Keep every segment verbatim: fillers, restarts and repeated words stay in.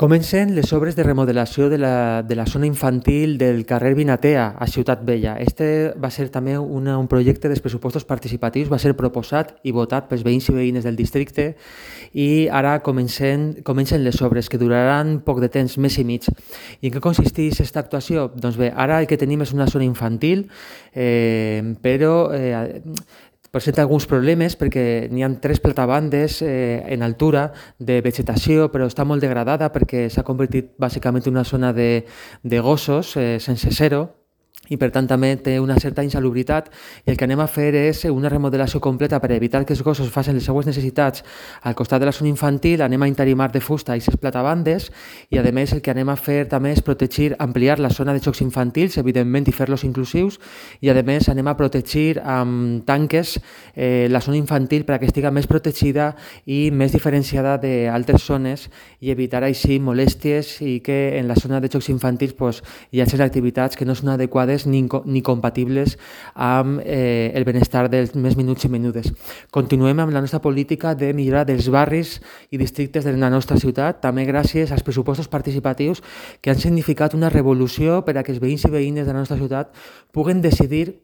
Comencen les obres de remodelació de la, de la zona infantil del carrer Vinatea, a Ciutat Vella. Este va ser també una, un projecte dels pressupostos participatius, va ser proposat i votat pels veïns i veïnes del districte i ara comencen, comencen les obres, que duraran poc de temps, mes i mig. I en què consisteix aquesta actuació? Doncs bé, ara el que tenim és una zona infantil, eh, però eh, presenta alguns problemes perquè n'hi ha tres platabandes eh, en altura de vegetació, però està molt degradada perquè s'ha convertit bàsicament en una zona de, de gossos eh, sense zero, i per tant també té una certa insalubritat, i el que anem a fer és una remodelació completa per evitar que els gossos facin les seues necessitats al costat de la zona infantil. Anem a interimar de fusta aquestes platabandes i a més el que anem a fer també és protegir, ampliar la zona de jocs infantils, evidentment, i fer-los inclusius, i a més anem a protegir amb tanques eh, la zona infantil perquè estigui més protegida i més diferenciada d'altres zones i evitar així molèsties i que en la zona de jocs infantils pues, hi hagi activitats que no són adequades Ni, ni compatibles amb eh, el benestar dels més minuts i menudes. Continuem amb la nostra política de millorar dels barris i districtes de la nostra ciutat, també gràcies als pressupostos participatius que han significat una revolució per a que els veïns i veïnes de la nostra ciutat puguen decidir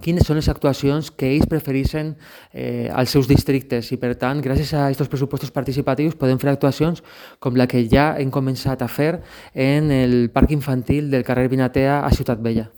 quines són les actuacions que ells prefereixen eh, als seus districtes i, per tant, gràcies a aquests pressupostos participatius podem fer actuacions com la que ja hem començat a fer en el parc infantil del carrer Vinatea a Ciutat Vella.